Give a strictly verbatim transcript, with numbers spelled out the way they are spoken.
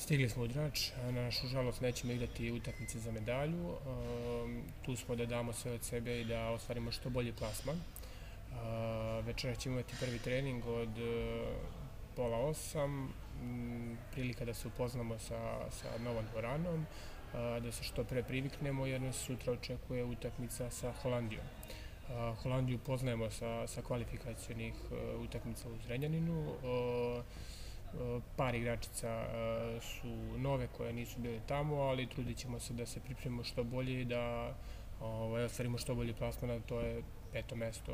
Stigli smo u Drač, na našu žalost nećemo igrati utakmice za medalju. Tu smo da damo sve od sebe i da ostvarimo što bolji plasman. Večera ćemo imati prvi trening od pola osam, prilika da se upoznamo sa, sa novom dvoranom, da se što pre priviknemo jer nas sutra očekuje utakmica sa Holandijom. Holandiju poznajemo sa, sa kvalifikacionih utakmica u Zrenjaninu. Par igračica su nove koje nisu bile tamo, ali trudit ćemo se da se pripremimo što bolje i da ostvarimo što bolji plasman, a to je peto mesto